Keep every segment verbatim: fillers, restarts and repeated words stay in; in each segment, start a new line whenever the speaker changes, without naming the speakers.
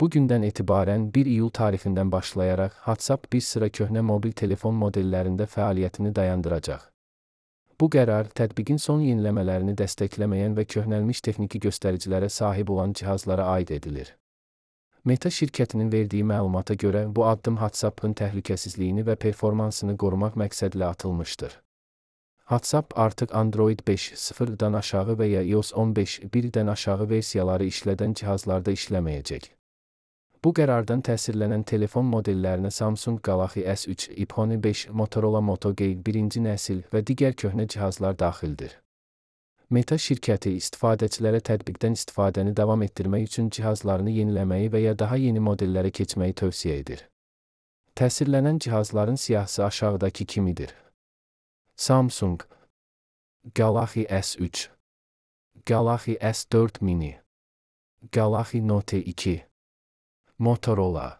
Bugündən etibarən bir iyul tarixindən başlayaraq WhatsApp bir sıra köhnə mobil telefon modellərində fəaliyyətini dayandıracaq. Bu qərar, tətbiqin son yeniləmələrini dəstəkləməyən və köhnəlmiş texniki göstəricilərə sahib olan cihazlara aid edilir. Meta şirkətinin verdiyi məlumata görə bu addım WhatsApp'ın təhlükəsizliyini və performansını qorumaq məqsədlə atılmışdır. WhatsApp artıq Android beş nöqtə sıfırdan aşağı və ya iOS on beş nöqtə birdən aşağı versiyaları işlədən cihazlarda işləməyəcək. Bu qərardan təsirlənən telefon modellərinə Samsung Galaxy S üç, iPhone beş, Motorola Moto G birinci nəsil və digər köhnə cihazlar daxildir. Meta şirkəti istifadəçilərə tətbiqdən istifadəni davam etdirmək üçün cihazlarını yeniləməyi və ya daha yeni modellərə keçməyi tövsiyə edir. Təsirlənən cihazların siyahısı aşağıdakı kimidir. Samsung Galaxy S üç, Galaxy S dörd mini, Galaxy Note iki, Motorola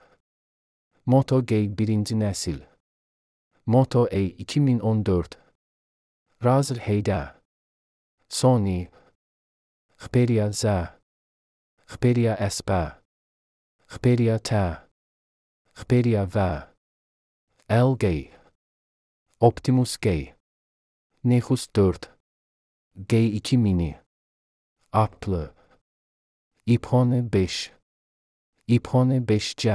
Moto G birinci nəsil, Moto E iki min on dörd, Razer H D, Sony, Xperia Z, Xperia S P, Xperia T, Xperia V, L G, Optimus G, Nexus dörd, G iki mini, Apple, iPhone beş, iPhone beş C,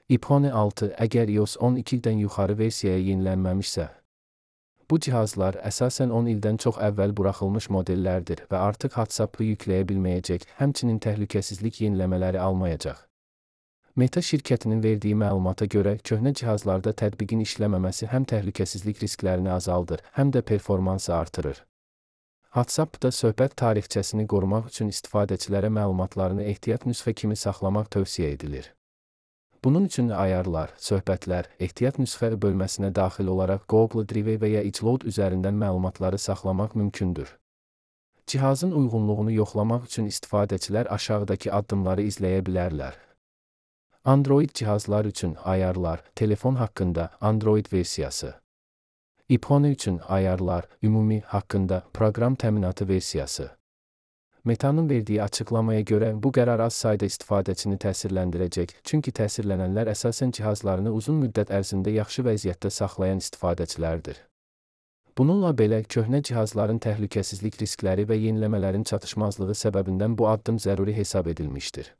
iPhone altı əgər iOS on ikidən yuxarı versiyaya yenilənməmişsə. Bu cihazlar əsasən on ildən çox əvvəl buraxılmış modellərdir və artıq WhatsApp'ı yükləyə bilməyəcək, həmçinin təhlükəsizlik yeniləmələri almayacaq. Meta şirkətinin verdiyi məlumata görə köhnə cihazlarda tətbiqin işləməməsi həm təhlükəsizlik risklərini azaldır, həm də performansı artırır. WhatsApp-da söhbət tarixçəsini qorumaq üçün istifadəçilərə məlumatlarını ehtiyat nüsxə kimi saxlamaq tövsiyə edilir. Bunun üçün ayarlar, söhbətlər, ehtiyat nüsxə bölməsinə daxil olaraq Google Drive və ya iCloud üzərindən məlumatları saxlamaq mümkündür. Cihazın uyğunluğunu yoxlamaq üçün istifadəçilər aşağıdakı addımları izləyə bilərlər. Android cihazlar üçün ayarlar, telefon haqqında Android versiyası. iPhone üçün ayarlar, ümumi haqqında proqram təminatı versiyası. Meta'nın verdiyi açıqlamaya görə bu qərar az sayda istifadəçini təsirləndirəcək, çünki təsirlənənlər əsasən cihazlarını uzun müddət ərzində yaxşı vəziyyətdə saxlayan istifadəçilərdir. Bununla belə, köhnə cihazların təhlükəsizlik riskləri və yeniləmələrin çatışmazlığı səbəbindən bu addım zəruri hesab edilmişdir.